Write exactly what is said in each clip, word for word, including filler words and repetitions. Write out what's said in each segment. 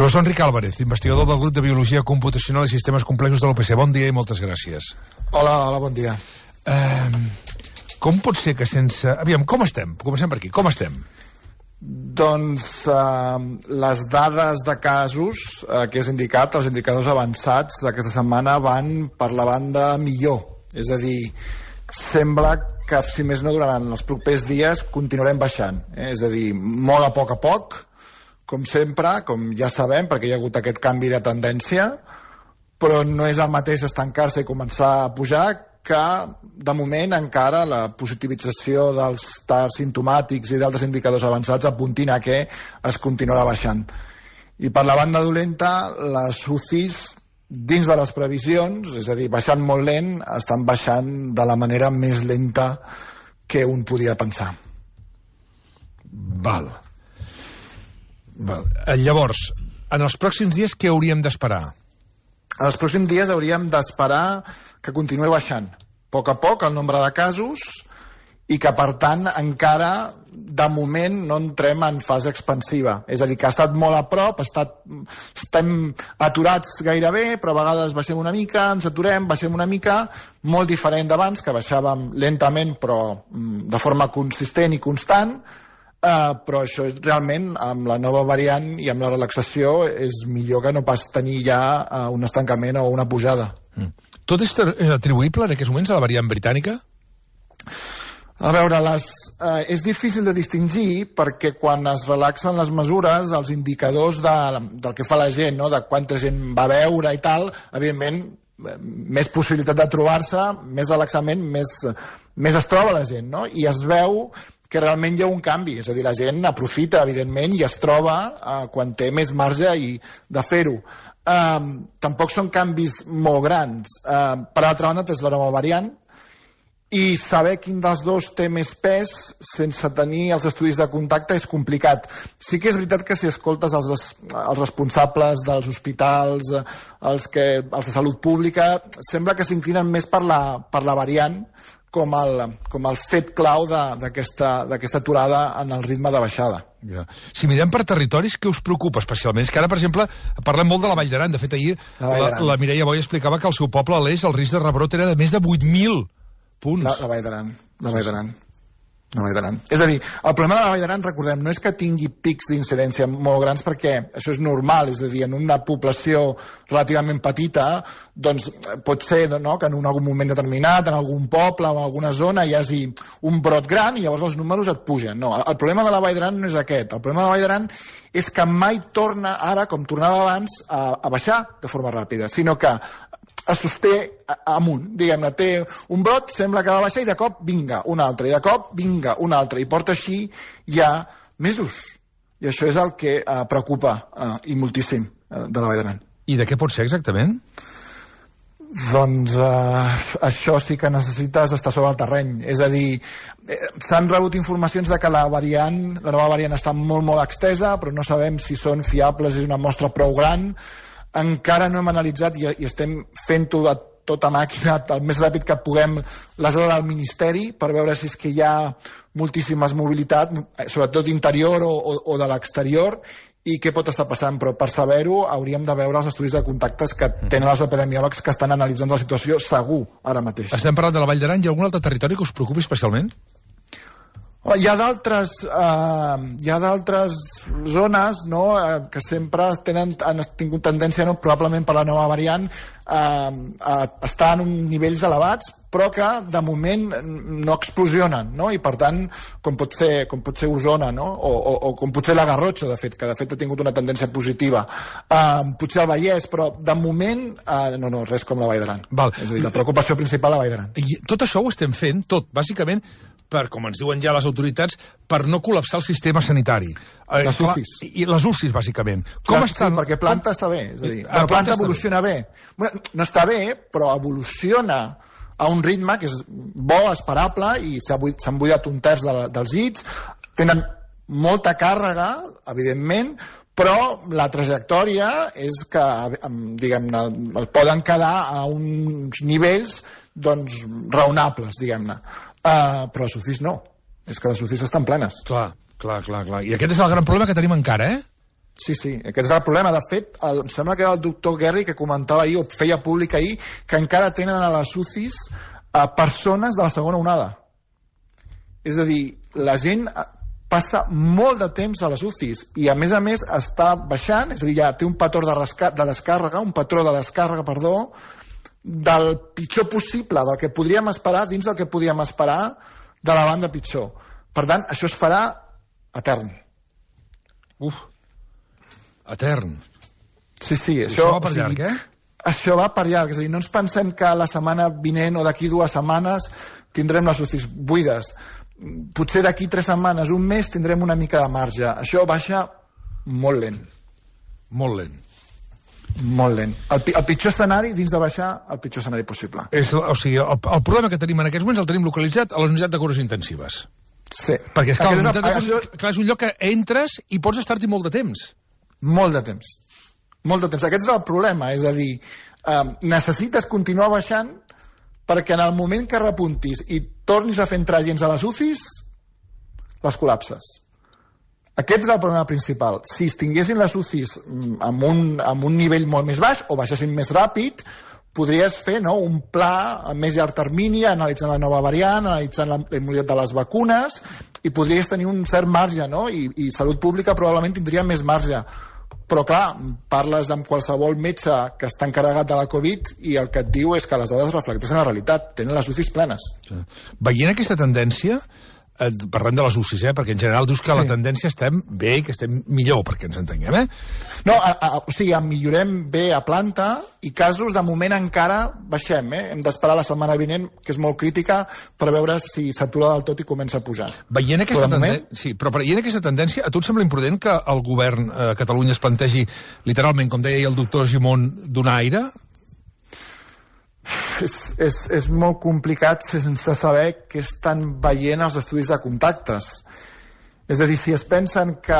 Professor Enric Álvarez, investigador del grup de Biologia Computacional i Sistemes Complexos de l'U P C. Bon dia i moltes gràcies. Hola, hola, bon dia. Uh, com pot ser que sense... Aviam, com estem? Comencem per aquí. Com estem? Doncs uh, les dades de casos uh, que has indicat, els indicadors avançats d'aquesta setmana van per la banda millor. És a dir, sembla que, si més no, durant els propers dies continuarem baixant. Eh? És a dir, molt a poc a poc, com sempre, com ja sabem, perquè hi ha hagut aquest canvi de tendència, però no és el mateix estancar-se i començar a pujar que, de moment, encara la positivització dels tars simptomàtics i d'altres indicadors avançats apuntin a que es continuarà baixant. I per la banda dolenta, les U C Is, dins de les previsions, és a dir, baixant molt lent, estan baixant de la manera més lenta que un podia pensar. Val. Val. Llavors, en els pròxims dies què hauríem d'esperar? En els pròxims dies hauríem d'esperar que continuï baixant a poc a poc el nombre de casos i que, per tant, encara de moment no entrem en fase expansiva. És a dir, que ha estat molt a prop, ha estat, estem aturats gairebé, però a vegades baixem una mica, ens aturem, baixem una mica, molt diferent d'abans, que baixàvem lentament però de forma consistent i constant. Uh, però això és realment, amb la nova variant i amb la relaxació, és millor que no pas tenir ja uh, un estancament o una pujada. Mm. Tot és atribuïble en aquests moments a la variant britànica? A veure, les, uh, és difícil de distingir perquè quan es relaxen les mesures, els indicadors de, del que fa la gent, no? De quanta gent va veure i tal, evidentment, més possibilitat de trobar-se, més relaxament, més, més es troba la gent, no? I es veu que realment hi ha un canvi, és a dir, la gent aprofita, evidentment, i es troba eh, quan té més marge i de fer-ho. Eh, tampoc són canvis molt grans. Eh, per altra banda, és la nova variant, i saber quin dels dos té més pes sense tenir els estudis de contacte és complicat. Sí que és veritat que si escoltes els, els responsables dels hospitals, els, que, els de salut pública, sembla que s'inclinen més per la, per la variant, com el, com el fet clau d'aquesta aturada en el ritme de baixada. Ja. Si mirem per territoris, què us preocupa especialment? És que ara, per exemple, parlem molt de la Vall d'Aran. De fet, ahir la, la, la Mireia Boy explicava que el seu poble, a l'Eix, el risc de rebrot era de més de vuit mil punts. La, la Vall d'Aran, la Vall d'Aran. La Vall d'Aran. És a dir, el problema de la Vall d'Aran, recordem, no és que tingui pics d'incidència molt grans, perquè això és normal, és a dir, en una població relativament petita, doncs pot ser, no?, que en un algun moment determinat, en algun poble o en alguna zona hi hagi un brot gran i llavors els números et pugen. No, el problema de la Vall d'Aran no és aquest. El problema de la Vall d'Aran és que mai torna, ara, com tornava abans, a, a baixar de forma ràpida, sinó que es sosté amunt, diguem-ne, té un brot, sembla que va baixar i de cop vinga un altre, i de cop vinga un altre, i porta així ja mesos. I això és el que eh, preocupa eh, i moltíssim eh, de la Vall d'Aran. I de què pot ser exactament? Doncs eh, això sí que necessites estar sobre el terreny. És a dir, eh, s'han rebut informacions de que la variant, la nova variant està molt, molt extesa, però no sabem si són fiables, és una mostra prou gran. Encara no hem analitzat i, i estem fent-ho a tota màquina el més ràpid que puguem les dades del Ministeri per veure si és que hi ha moltíssimes mobilitat, sobretot interior o, o, o de l'exterior, i què pot estar passant, però per saber-ho hauríem de veure els estudis de contactes que tenen els epidemiòlegs que estan analitzant la situació segur ara mateix. Estem parlant de la Vall d'Aran. Hi ha algun altre territori que us preocupi especialment? Hi ha d'altres eh, hi ha d'altres zones, no?, eh, que sempre tenen, han tingut tendència, no?, probablement per la nova variant, eh, a estar en uns nivells elevats, però que de moment no explosionen, no?, i per tant, com pot ser, com pot ser Osona, no?, o, o, o com pot ser la Garrotxa, de fet, que de fet ha tingut una tendència positiva, eh, potser el Vallès, però de moment, eh, no, no, res com la Vall d'Aran. És a dir, la preocupació principal a la Vall d'Aran. I tot això ho estem fent, tot, bàsicament, per, com ens diuen ja les autoritats, per no col·lapsar el sistema sanitari. Les U C Is. I les U C Is, bàsicament. Com Clar, estan... Sí, perquè planta com... està bé. És a dir, la la planta està evoluciona bé. bé. Bueno, no està bé, però evoluciona a un ritme que és bo, esperable, i s'han buidat un terç de la, dels llits, tenen molta càrrega, evidentment, però la trajectòria és que, diguem-ne, el poden quedar a uns nivells, doncs, raonables, diguem-ne. Uh, però les U C Is no. És que les U C Is estan plenes. Clar, clar, clar, clar. I aquest és el gran problema que tenim encara, eh? Sí, sí, aquest és el problema. De fet, el, em sembla que era el doctor Guerri que comentava ahir, o feia públic ahir, que encara tenen a les U C Is a persones de la segona onada. És a dir, la gent passa molt de temps a les U C Is i, a més a més, està baixant, és a dir, ja té un patró de, de descàrrega, un patró de descàrrega, perdó, del pitjor possible, del que podríem esperar, dins del que podríem esperar de la banda pitjor. Per tant, això es farà etern. Uf, etern. Sí, sí. Això, això va per llarg, o sigui, eh? Això va per llarg, és a dir, no ens pensem que la setmana vinent o d'aquí dues setmanes tindrem les U C Is buides. Potser d'aquí tres setmanes, un mes, tindrem una mica de marge. Això baixa molt lent. Molt lent. Molt lent. El, el pitjor escenari, dins de baixar, el pitjor escenari possible. És, o sigui, el, el problema que tenim en aquests moments el tenim localitzat a les unitats de cures intensives. Sí. Perquè, esclar, és, el, de, això... clar, és un lloc que entres i pots estar-hi molt de temps. Molt de temps. Molt de temps. Aquest és el problema, és a dir, eh, necessites continuar baixant perquè en el moment que repuntis i tornis a fer entrar gens a les U C Is, les col·lapses. Aquest és el problema principal. Si es tinguessin les U C Is amb un, amb un nivell molt més baix o baixessin més ràpid, podries fer, no, un pla a més llarg termini, analitzant la nova variant, analitzant la immunitat de les vacunes, i podries tenir un cert marge, no? I, i Salut Pública probablement tindria més marge. Però, clar, parles amb qualsevol metge que està encarregat de la Covid i el que et diu és que les dades reflecteixen la realitat. Tenen les U C Is plenes. Sí. Veient aquesta tendència, eh, parlem de les U C Is, eh, perquè en general dius que sí. La tendència estem bé i que estem millor, perquè ens entenguem, eh? No, a, a, o sigui, millorem bé a planta i casos, de moment, encara baixem, eh? Hem d'esperar la setmana vinent, que és molt crítica, per veure si s'atura del tot i comença a pujar. Veient aquesta, tenden... moment... sí, però veient aquesta tendència, a tu et sembla imprudent que el govern a Catalunya es plantegi, literalment, com deia el doctor Gimón, donar aire? És, és, és molt complicat sense saber què estan veient els estudis de contactes. És a dir, si es pensen que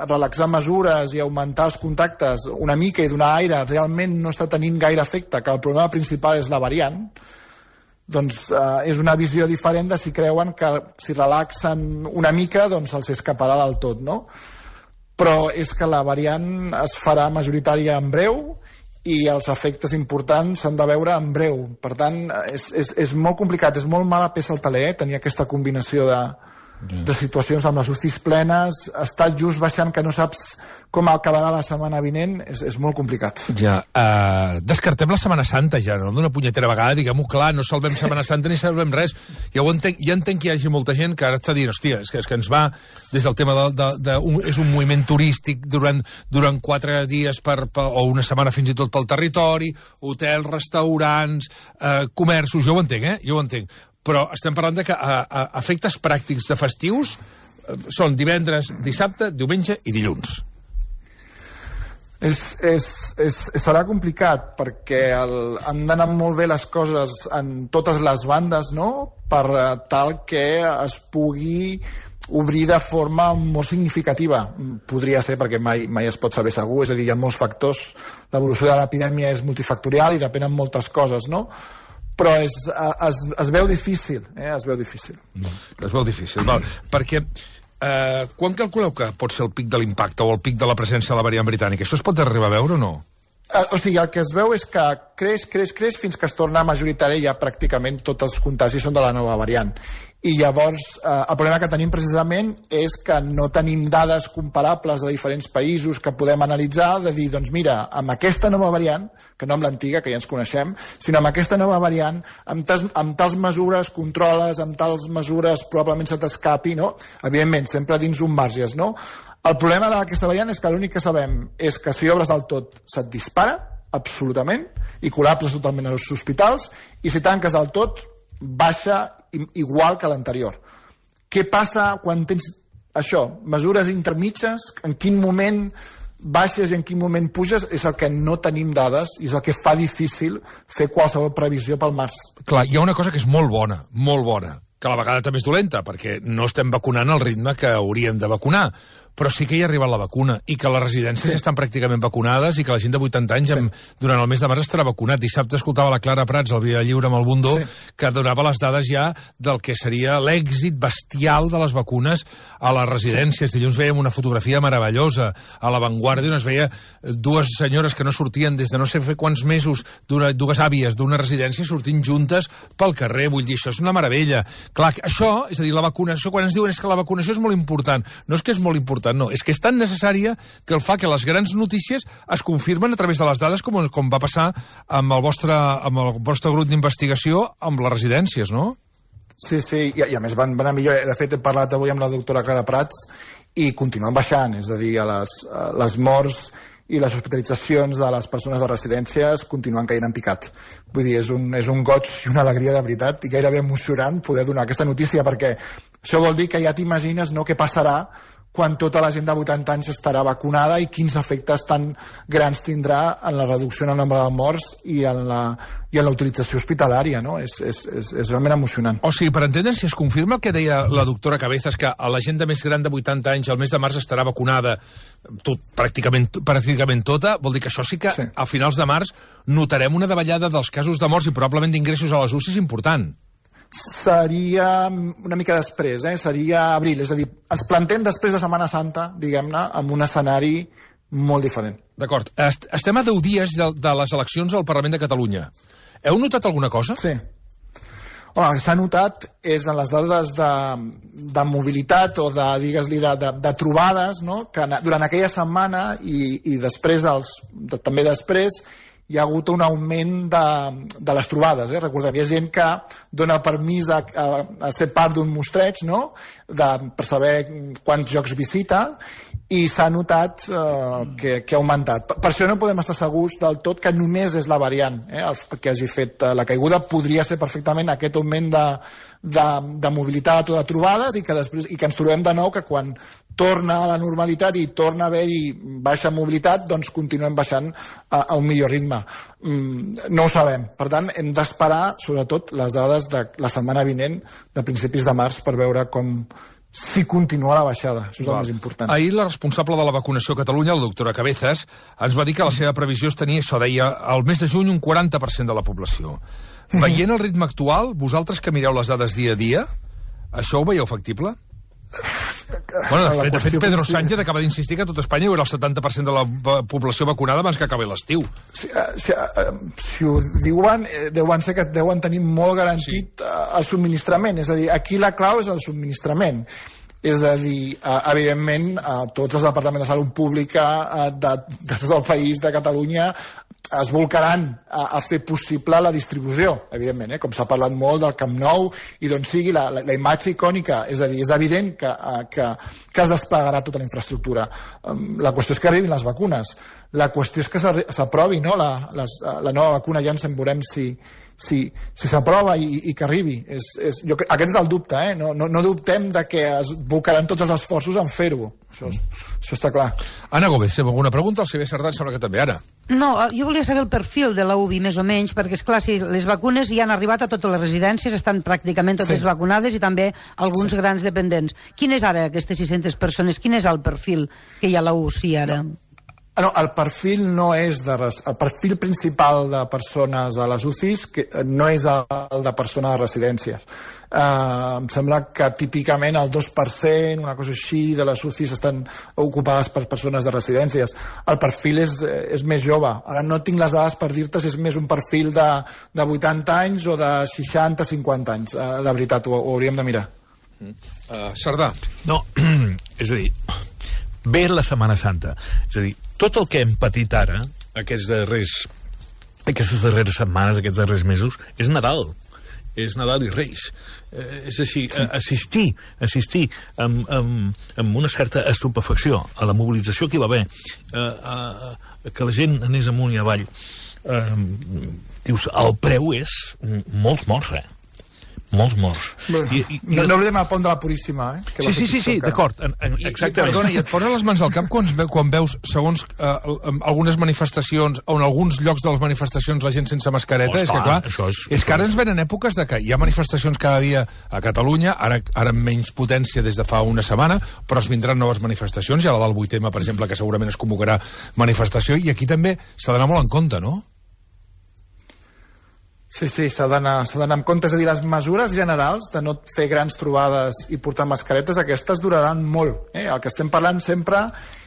relaxar mesures i augmentar els contactes una mica i donar aire realment no està tenint gaire efecte, que el problema principal és la variant, doncs eh, és una visió diferent de si creuen que si relaxen una mica doncs els escaparà del tot, no? Però és que la variant es farà majoritària en breu i els efectes importants s'han de veure en breu. Per tant, és, és, és molt complicat, és molt mala peça al taler, eh, tenir aquesta combinació de, de situacions amb les U C Is plenes, estar just baixant que no saps com acabarà la setmana vinent, és, és molt complicat. Ja, uh, descartem la Setmana Santa ja, no? D'una punyetera vegada, diguem-ho clar, no salvem Setmana Santa ni salvem res. Ja ho entenc, ja entenc que hi hagi molta gent que ara està dient, hòstia, és que, és que ens va des del tema de, de, de un, és un moviment turístic durant, durant quatre dies per, per, o una setmana fins i tot pel territori, hotels, restaurants, uh, comerços, jo ho entenc, eh? Jo ho entenc. Però estem parlant de que a, a efectes pràctics de festius eh, són divendres, dissabte, diumenge i dilluns. És, és, és, serà complicat perquè el, han d'anar molt bé les coses en totes les bandes, no?, per tal que es pugui obrir de forma molt significativa. Podria ser, perquè mai, mai es pot saber segur, és a dir, hi ha molts factors, l'evolució de l'epidèmia és multifactorial i depenen moltes coses, no?, però és, es, es veu difícil, eh? es veu difícil. Es veu difícil, val. Perquè eh, quan calculeu que pot ser el pic de l'impacte o el pic de la presència de la variant britànica? Això es pot arribar a veure o no? O sigui, el que es veu és que creix, creix, creix fins que es torna majoritari i ja pràcticament tots els contagis són de la nova variant. I llavors, eh, el problema que tenim precisament és que no tenim dades comparables de diferents països que podem analitzar, de dir, doncs mira, amb aquesta nova variant, que no amb l'antiga, que ja ens coneixem, sinó amb aquesta nova variant, amb, tas, amb tals mesures controles, amb tals mesures probablement se t'escapi, no? Evidentment, sempre dins un marges, no? El problema d'aquesta variant és que l'únic que sabem és que si obres del tot se't dispara, absolutament, i col·lapses totalment als hospitals, i si tanques del tot, baixa igual que l'anterior. Què passa quan tens això? Mesures intermitges, en quin moment baixes i en quin moment puges, és el que no tenim dades i és el que fa difícil fer qualsevol previsió pel març. Clar, hi ha una cosa que és molt bona, molt bona, que a la vegada també és dolenta, perquè no estem vacunant al ritme que hauríem de vacunar. però sí que hi ha arribat la vacuna, i que les residències sí. estan pràcticament vacunades, i que la gent de vuitanta anys, sí. amb, durant el mes de març, estarà vacunat. Dissabte escoltava la Clara Prats, al Via Lliure amb el Bundó, sí. que donava les dades ja del que seria l'èxit bestial de les vacunes a les residències. Sí. Dilluns veiem una fotografia meravellosa a La Vanguardia, on es veia dues senyores que no sortien des de no sé fer quants mesos, dues àvies d'una residència sortint juntes pel carrer. Vull dir, això és una meravella. Clar, això, és a dir, la vacunació, quan ens diuen és que la vacunació és molt important, no és que és molt important, no, és que és tan necessària que el fa que les grans notícies es confirmen a través de les dades, com, com va passar amb el vostre, amb el vostre grup d'investigació amb les residències, no? Sí, sí, i, i a més van, van a millor. De fet, he parlat avui amb la doctora Clara Prats i continuen baixant, és a dir, a les, a les morts i les hospitalitzacions de les persones de residències continuen caient en picat. Vull dir, és un, és un goig i una alegria de veritat i gairebé emocionant poder donar aquesta notícia, perquè això vol dir que ja t'imagines, no?, què passarà quan tota la gent de vuitanta anys estarà vacunada i quins efectes tan grans tindrà en la reducció en el nombre de morts i en la, i en la utilització hospitalària, no? És, és, és, és realment emocionant. O sigui, per entendre, si es confirma el que deia la doctora Cabezas, que a la gent de més gran de vuitanta anys al mes de març estarà vacunada tot, pràcticament, pràcticament tota, vol dir que això sí que sí. a finals de març notarem una davallada dels casos de morts i probablement d'ingressos a les U C Is important. Seria una mica després, eh? Seria abril, és a dir, ens plantem després de Setmana Santa, diguem-ne, amb un escenari molt diferent. D'acord. Est estem a deu dies de, de les eleccions al Parlament de Catalunya. Heu notat alguna cosa? Sí. Home, el que s'ha notat és en les dades de, de mobilitat o de, digues-li, de, de, de trobades, no?, que durant aquella setmana i, i després, els, de, també després, hi ha hagut un augment de, de les trobades. Eh? Recordem, hi ha gent que dona permís a, a, a ser part d'un mostreig, no?, de, per saber quants jocs visita, i s'ha notat eh, que, que ha augmentat. Per, per això no podem estar segurs del tot que només és la variant eh, el que hagi fet eh, la caiguda. Podria ser perfectament aquest augment de, de, de mobilitat o de trobades i que, després, i que ens trobem de nou que quan torna a la normalitat i torna a haver-hi baixa mobilitat, doncs continuem baixant a, a un millor ritme. Mm, no ho sabem. Per tant, hem d'esperar, sobretot, les dades de la setmana vinent, de principis de març, per veure com si continua la baixada. Això és el més important. Ahir la responsable de la vacunació a Catalunya, la doctora Cabezas, ens va dir que la seva previsió és tenir, això deia, al mes de juny un quaranta per cent de la població. Veient el ritme actual, vosaltres que mireu les dades dia a dia, això ho veieu factible? Bueno, de fet, de fet Pedro Sánchez acaba d'insistir que a tot Espanya hi haurà el setanta per cent de la població vacunada abans que acabi l'estiu. Si, si, si ho diuen, deuen ser que deuen tenir molt garantit sí. el subministrament. És a dir, aquí la clau és el subministrament. És a dir, evidentment, tots els departaments de salut pública de, de tot el país, de Catalunya, es volcaran a, a fer possible la distribució, evidentment, eh? Com s'ha parlat molt del Camp Nou i d'on sigui la, la, la imatge icònica, és a dir, és evident que, que, que es desplegarà tota la infraestructura. La qüestió és que arribin les vacunes, la qüestió és que s'aprovi, no?, la, les, la nova vacuna, ja ens en veurem si si si s'aprova i, i que arribi. És, és, jo, aquest és el dubte, eh? no, no, no dubtem de que es volcaran tots els esforços en fer-ho. Això, això està clar. Anna Gómez, alguna pregunta? El C B Cerdà em sembla que també, ara. No, jo volia saber el perfil de la U B I, més o menys, perquè, és clar, si les vacunes ja han arribat a totes les residències, estan pràcticament totes sí. vacunades i també alguns sí. grans dependents. Quin és ara aquestes sis-centes persones? Quin és el perfil que hi ha a la U C I ara? No. No, el perfil no és de res, el perfil principal de persones a les U C Is que no és el de persones de residències. Uh, em sembla que típicament el dos per cent, una cosa així, de les U C Is estan ocupades per persones de residències. El perfil és, és més jove. Ara no tinc les dades per dir-te si és més un perfil de, de vuitanta anys o de seixanta cinquanta anys. Uh, la veritat, ho, ho hauríem de mirar. Uh, Cerdà. No, és a dir, ve la Setmana Santa. És a dir, tot el que hem patit ara, aquests darrers, aquestes darreres setmanes, aquests darrers mesos, és Nadal. És Nadal i Reis. Eh, és així, sí. assistir, assistir amb, amb, amb una certa estupefacció a la mobilització que hi va haver, eh, a, a, que la gent anés amunt i avall. Eh, dius, el preu és molts morts, eh? molts morts. Bueno, I, i, no, no oblidem el pont de la Puríssima, eh? Que sí, sí, sí, sí, d'acord, exactament. I, perdona, i et posa les mans al cap quan, quan veus, segons eh, algunes manifestacions, on en alguns llocs de les manifestacions la gent sense mascareta, oh, és que clar, és, és que ara ens venen èpoques de que hi ha manifestacions cada dia a Catalunya, ara, ara amb menys potència des de fa una setmana, però es vindran noves manifestacions, hi ha la del vuit eme, per exemple, que segurament es convocarà manifestació, i aquí també s'ha d'anar molt en compte, no? Sí, sí, s'ha d'anar amb compte. És a dir, les mesures generals de no fer grans trobades i portar mascaretes, aquestes duraran molt. Eh? El que estem parlant sempre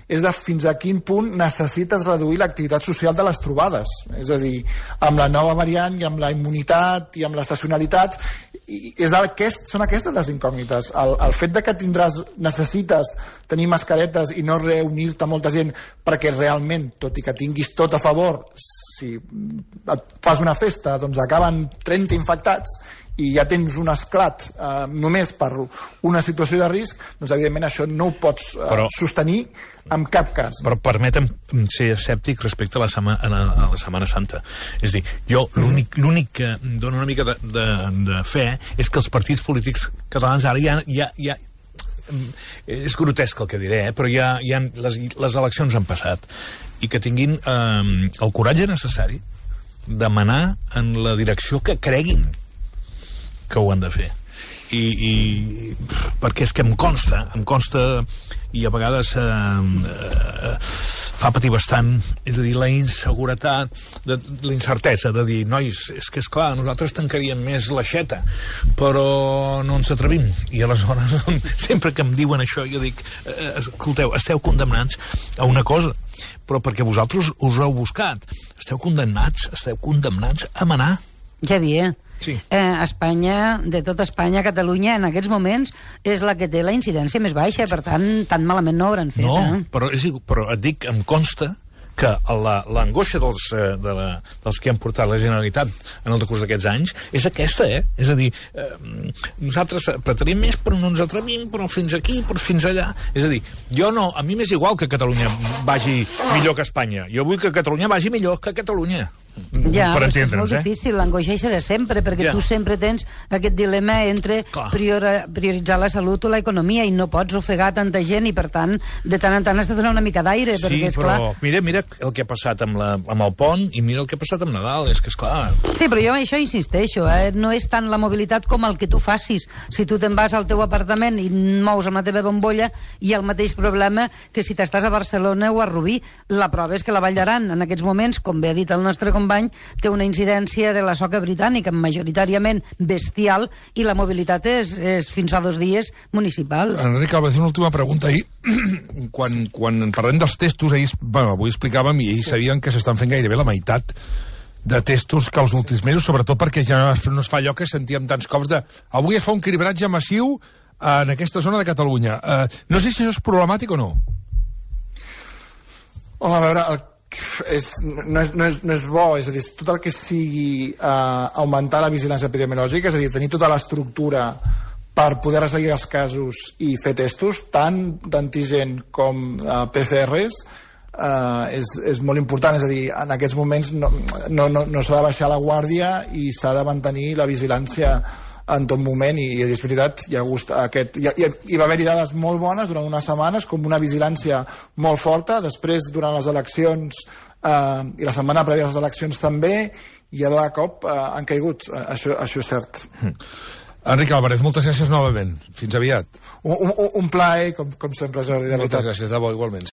és de fins a quin punt necessites reduir l'activitat social de les trobades. És a dir, amb la nova variant i amb la immunitat i amb l'estacionalitat, i és aquest, són aquestes les incògnites. El, el fet de que tindràs, necessites tenir mascaretes i no reunir-te molta gent perquè realment, tot i que tinguis tot a favor, si et fas una festa, doncs acaben trenta infectats i ja tens un esclat eh, només per una situació de risc, doncs evidentment això no ho pots eh, però, sostenir en cap cas. Però permetem ser escèptic respecte a la, sema, a la, a la Setmana Santa. És a dir, jo l'únic l'únic que em dona una mica de, de, de fe és que els partits polítics catalans ara ja, ja, ja és grotesc el que diré, eh? Però ja, ja les, les eleccions han passat i que tinguin eh, el coratge necessari de manar en la direcció que creguin que ho han de fer. I, i perquè és que em consta, em consta i a vegades eh, eh, fa patir bastant, és a dir, la inseguretat, de, la incertesa de dir, nois, és que és clar, nosaltres tancaríem més l'aixeta, però no ens atrevim. I aleshores, sempre que em diuen això, jo dic, eh, escolteu, esteu condemnats a una cosa, però perquè vosaltres us ho heu buscat. Esteu condemnats, esteu condemnats a manar. Xavier, sí. eh, Espanya, de tota Espanya, Catalunya, en aquests moments, és la que té la incidència més baixa, per tant, tan malament no hauran fet. No, eh? però, és, però et dic, em consta que l'angoixa dels, de la, dels que han portat la Generalitat en el decurs d'aquests anys és aquesta, eh? És a dir, eh, nosaltres apretaríem més, però no ens atrevim, però fins aquí, però fins allà. És a dir, jo no, a mi m'és igual que Catalunya vagi millor que Espanya. Jo vull que Catalunya vagi millor que Catalunya. Ja, però és, és molt eh? difícil, l'angoixa és de sempre, perquè ja. tu sempre tens aquest dilema entre priori, prioritzar la salut o l'economia, i no pots ofegar tanta gent, i per tant, de tant en tant has de donar una mica d'aire, sí, perquè és però clar... mira, mira el que ha passat amb, la, amb el pont, i mira el que ha passat amb Nadal, és que és clar... Sí, però jo això insisteixo, eh? no és tant la mobilitat com el que tu facis. Si tu te'n vas al teu apartament i mous amb la teva bombolla, hi ha el mateix problema que si t'estàs a Barcelona o a Rubí. La prova és que la Vall d'Aran, en aquests moments, com bé ha dit el nostre company, té una incidència de la soca britànica majoritàriament bestial, i la mobilitat és, és fins fa dos dies municipal. Enric Álvarez, una última pregunta. Ahir, quan, quan parlem dels testos, ahir, bueno, avui explicàvem, i ahir sí. sabien que s'estan fent gairebé la meitat de testos que els últims mesos, sobretot perquè ja no es fa allò que sentíem tants cops de avui es fa un cribratge massiu en aquesta zona de Catalunya. Uh, no sé si això és problemàtic o no. Home, a veure, el És, no, és, no, és, no és bo, és a dir, tot el que sigui eh, augmentar la vigilància epidemiològica, és a dir, tenir tota l'estructura per poder resseguir els casos i fer testos, tant d'antigen com eh, P C Rs, eh, és, és molt important. És a dir, en aquests moments no, no, no, no s'ha de baixar la guàrdia i s'ha de mantenir la vigilància en tot moment, i, i és veritat, hi, ha gust, aquest, hi, hi, hi va haver-hi dades molt bones durant unes setmanes, com una vigilància molt forta. Després, durant les eleccions eh, i la setmana prèvia a les eleccions també, i de cop eh, han caigut. Eh, això, això és cert. Mm. Enric Álvarez, moltes gràcies novament. Fins aviat. Un, un, un plaer, com, com sempre, Jordi, de veritat. Moltes gràcies, de bo, igualment.